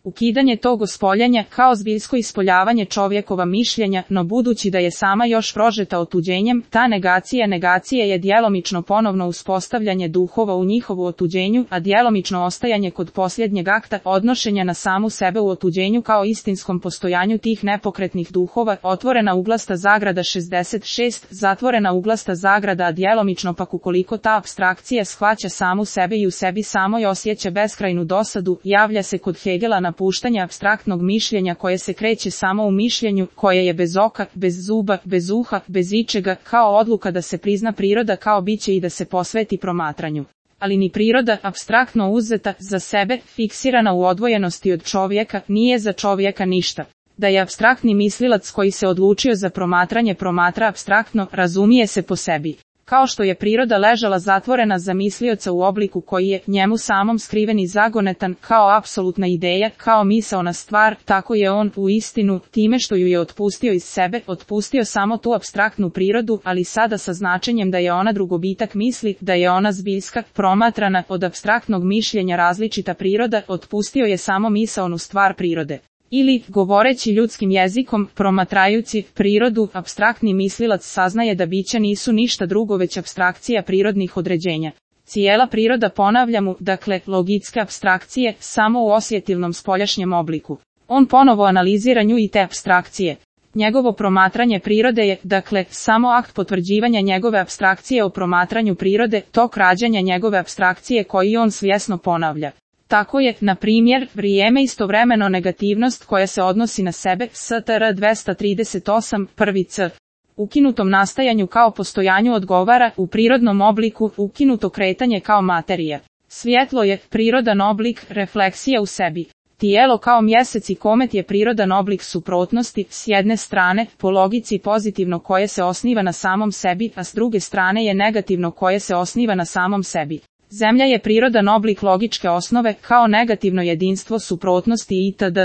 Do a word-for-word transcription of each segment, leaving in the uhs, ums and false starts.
Ukidanje tog ospoljenja kao zbiljsko ispoljavanje čovjekova mišljenja, no budući da je sama još prožeta otuđenjem, ta negacija negacije je djelomično ponovno uspostavljanje duhova u njihovu otuđenju, a djelomično ostajanje kod posljednjeg akta odnošenja na samu sebe u otuđenju kao istinskom postojanju tih nepokretnih duhova, otvorena uglasta zagrada šezdeset šest, zatvorena uglasta zagrada, a djelomično pak ukoliko ta apstrakcija shvaća samu sebe i u sebi samoj osjeća beskrajnu dosadu, javlja se kod Hegela napuštanje apstraktnog mišljenja koje se kreće samo u mišljenju, koje je bez oka, bez zuba, bez uha, bez ičega, kao odluka da se prizna priroda kao biće i da se posveti promatranju. Ali ni priroda, apstraktno uzeta, za sebe, fiksirana u odvojenosti od čovjeka, nije za čovjeka ništa. Da je apstraktni mislilac koji se odlučio za promatranje promatra apstraktno, razumije se po sebi. Kao što je priroda ležala zatvorena za mislioca u obliku koji je njemu samom skriven i zagonetan, kao apsolutna ideja, kao misaona stvar, tako je on, u istinu, time što ju je otpustio iz sebe, otpustio samo tu apstraktnu prirodu, ali sada sa značenjem da je ona drugobitak misli, da je ona zbiljska, promatrana, od apstraktnog mišljenja različita priroda, otpustio je samo misaonu stvar prirode. Ili, govoreći ljudskim jezikom, promatrajući prirodu, apstraktni mislilac saznaje da bića nisu ništa drugo već apstrakcija prirodnih određenja. Cijela priroda, ponavlja mu, dakle, logitske apstrakcije, samo u osjetilnom spoljašnjem obliku. On ponovo analizira nju i te apstrakcije. Njegovo promatranje prirode je, dakle, samo akt potvrđivanja njegove apstrakcije o promatranju prirode, tok rađanja njegove apstrakcije koji on svjesno ponavlja. Tako je, na primjer, vrijeme istovremeno negativnost koja se odnosi na sebe, S T R dvesta trideset osam, prvi C. Ukinutom nastajanju kao postojanju odgovara, u prirodnom obliku, ukinuto kretanje kao materija. Svjetlo je, prirodan oblik, refleksija u sebi. Tijelo kao mjesec i komet je prirodan oblik suprotnosti, s jedne strane, po logici pozitivno koje se osniva na samom sebi, a s druge strane je negativno koje se osniva na samom sebi. Zemlja je prirodan oblik logičke osnove, kao negativno jedinstvo suprotnosti itd.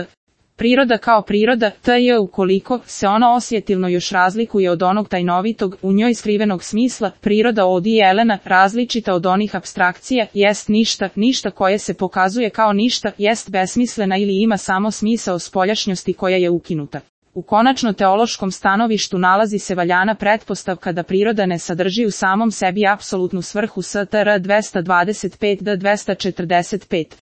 Priroda kao priroda, T J ukoliko se ona osjetilno još razlikuje od onog tajnovitog, u njoj skrivenog smisla, priroda od i Elena, različita od onih apstrakcija, jest ništa, ništa koje se pokazuje kao ništa, jest besmislena ili ima samo smisao spoljašnjosti koja je ukinuta. U konačno teološkom stanovištu nalazi se valjana pretpostavka da priroda ne sadrži u samom sebi apsolutnu svrhu S T R dvesta dvadeset pet do dvesta četrdeset pet.